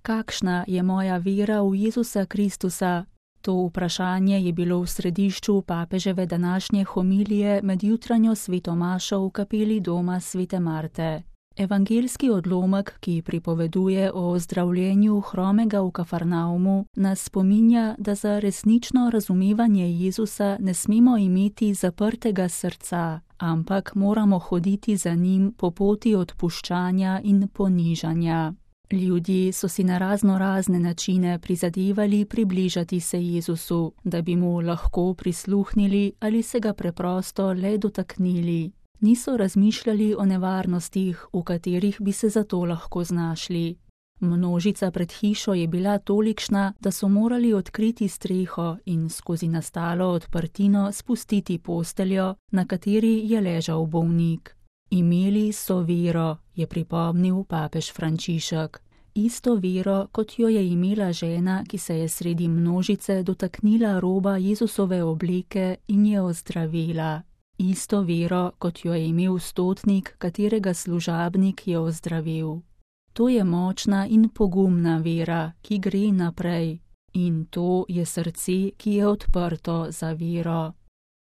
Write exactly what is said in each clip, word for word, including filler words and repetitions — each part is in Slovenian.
Kakšna je moja vera v Jezusa Kristusa? To vprašanje je bilo v središču papeževe današnje homilije med jutranjo svetomašo v kapeli doma svete Marte. Evangeljski odlomek, ki pripoveduje o ozdravljenju hromega v Kafarnaumu, nas spominja, da za resnično razumevanje Jezusa ne smemo imeti zaprtega srca, ampak moramo hoditi za njim po poti odpuščanja in ponižanja. Ljudje so si na razno razne načine prizadevali približati se Jezusu, da bi mu lahko prisluhnili ali se ga preprosto le dotaknili. Niso razmišljali o nevarnostih, v katerih bi se zato lahko znašli. Množica pred hišo je bila tolikšna, da so morali odkriti streho in skozi nastalo odprtino spustiti posteljo, na kateri je ležal bolnik. Imeli so vero, je pripomnil papež Frančišek. Isto vero, kot jo je imela žena, ki se je sredi množice dotaknila roba Jezusove obleke in je ozdravila. Isto vero, kot jo je imel stotnik, katerega služabnik je ozdravil. To je močna in pogumna vera, ki gre naprej. In to je srce, ki je odprto za vero.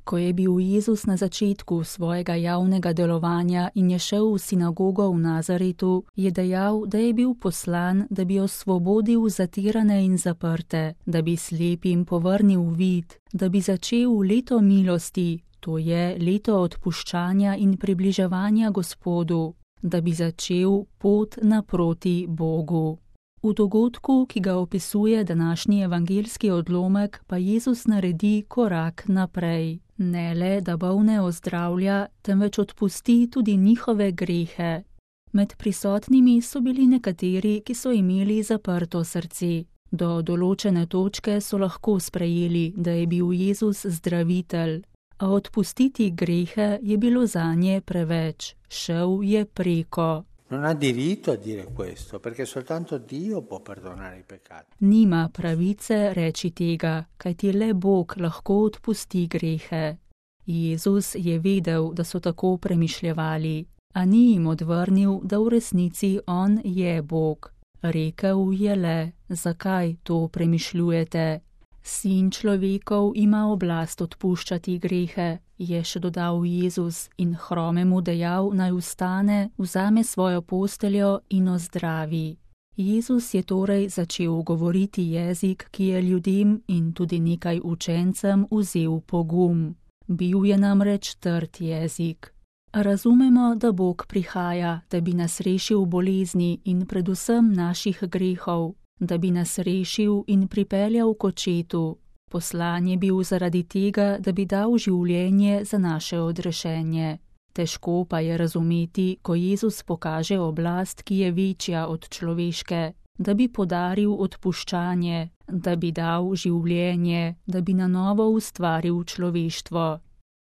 Ko je bil Jezus na začetku svojega javnega delovanja in je šel v sinagogo v Nazaretu, je dejal, da je bil poslan, da bi osvobodil zatirane in zaprte, da bi slepim povrnil vid, da bi začel leto milosti, to je leto odpuščanja in približevanja Gospodu, da bi začel pot naproti Bogu. V dogodku, ki ga opisuje današnji evangeljski odlomek, pa Jezus naredi korak naprej. Ne le, da bolne ozdravlja, temveč odpusti tudi njihove grehe. Med prisotnimi so bili nekateri, ki so imeli zaprto srce. Do določene točke so lahko sprejeli, da je bil Jezus zdravitelj, a odpustiti grehe je bilo zanje preveč. Šel je preko. Non ha diritto a dire questo, perché soltanto Dio può perdonare i peccati. Nima pravice reči tega, kajti le Bog lahko odpusti grehe. Jezus je vedel, da so tako premišljevali, a ni jim odvrnil, da v resnici on je Bog. Rekel je le, zakaj to premišljujete? Sin človekov ima oblast odpuščati grehe, je še dodal Jezus in hromemu dejal, naj vstane, vzame svojo posteljo in ozdravi. Jezus je torej začel govoriti jezik, ki je ljudem in tudi nekaj učencem vzel pogum. Bil je namreč trd jezik. Razumemo, da Bog prihaja, da bi nas rešil bolezni in predvsem naših grehov, da bi nas rešil in pripeljal k očetu. Poslan je bil zaradi tega, da bi dal življenje za naše odrešenje. Težko pa je razumeti, ko Jezus pokaže oblast, ki je večja od človeške, da bi podaril odpuščanje, da bi dal življenje, da bi na novo ustvaril človeštvo.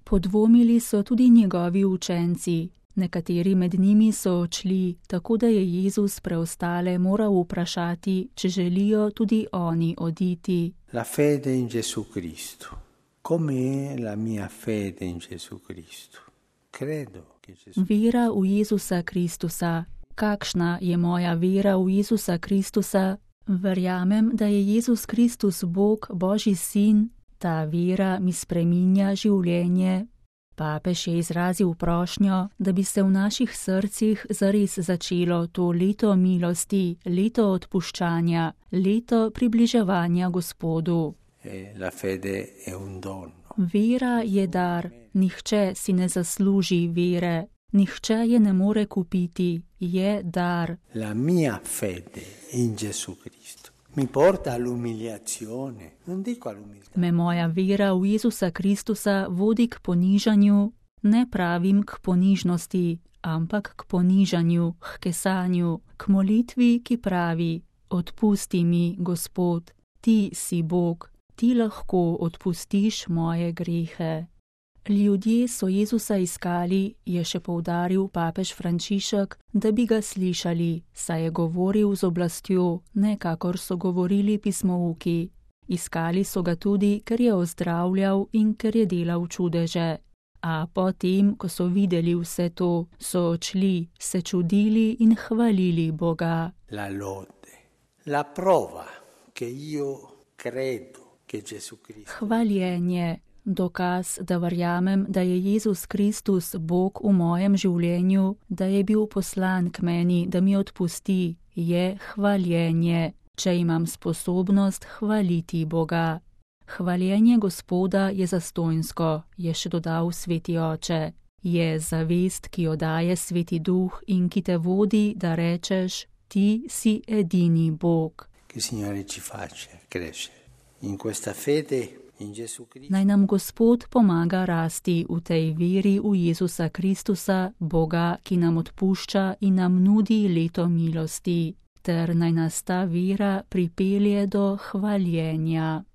Podvomili so tudi njegovi učenci. Nekateri med njimi so odšli, tako da je Jezus preostale moral vprašati, če želijo tudi oni oditi. La fede in Gesù Cristo. Come è la mia fede in Gesù Cristo? Credo che Gesù... Vera v Jezusa Kristusa. Kakšna je moja vera v Jezusa Kristusa? Verjamem, da je Jezus Kristus Bog, Božji sin. Ta vera mi spreminja življenje. Papež je izrazil prošnjo, da bi se v naših srcih zares začelo to leto milosti, leto odpuščanja, leto približevanja Gospodu. La fede è un dono. Vera je dar, nihče si ne zasluži vere, nihče je ne more kupiti, je dar. La mia fede in Gesù Cristo mi porta all'umiliazione, non dico all'umiltà. Me moja vera v Jezusa Kristusa vodi k ponižanju, ne pravim k ponižnosti, ampak k ponižanju, k kesanju, k molitvi, ki pravi: odpusti mi, Gospod, ti si Bog, ti lahko odpustiš moje grehe. Ljudje so Jezusa iskali, je še poudaril papež Frančišek, da bi ga slišali, saj je govoril z oblastjo, ne kakor so govorili pismouki. Iskali so ga tudi, ker je ozdravljal in ker je delal čudeže. A potem, ko so videli vse to, so odšli, se čudili in hvalili Boga. La lode, La prova che io credo che Gesù Cristo. Hvaljenje, dokaz, da verjamem, da je Jezus Kristus Bog v mojem življenju, da je bil poslan k meni, da mi odpusti, je hvaljenje, če imam sposobnost hvaliti Boga. Hvaljenje Gospoda je zastonjsko, je še dodal Sveti Oče. Je zavest, ki jo daje Sveti Duh in ki te vodi, da rečeš, ti si edini Bog. Che Signore ci faccia crescere in questa fede in Gesù Cristo. Naj nam Gospod pomaga rasti v tej veri v Jezusa Kristusa, Boga, ki nam odpušča in nam nudi leto milosti, ter naj nas ta vera pripelje do hvaljenja.